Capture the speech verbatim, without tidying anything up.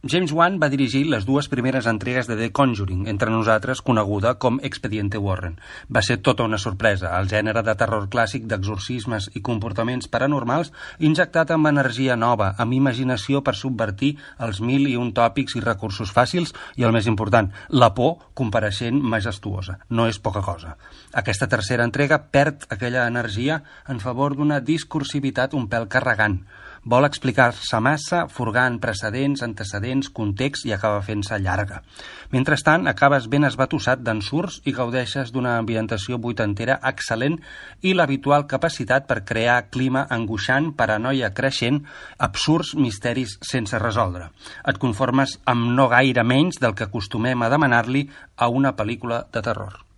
James Wan va dirigir les dues primeres entregues de The Conjuring, entre nosaltres coneguda com Expediente Warren. Va ser tota una sorpresa, el gènere de terror clàssic d'exorcismes i comportaments paranormals injectat amb energia nova, amb imaginació per subvertir els mil i un tòpics i recursos fàcils i, el més important, la por compareixent majestuosa. No és poca cosa. Aquesta tercera entrega perd aquella energia en favor d'una discursivitat un pèl carregant. Vol explicar-se massa, furgant precedents, antecedents, context i acaba fent-se llarga. Mentrestant, acabes ben esbatussat d'ensurts i gaudeixes d'una ambientació vuitantera excel·lent i l'habitual capacitat per crear clima angoixant, paranoia creixent, absurds misteris sense resoldre. Et conformes amb no gaire menys del que acostumem a demanar-li a una pel·lícula de terror.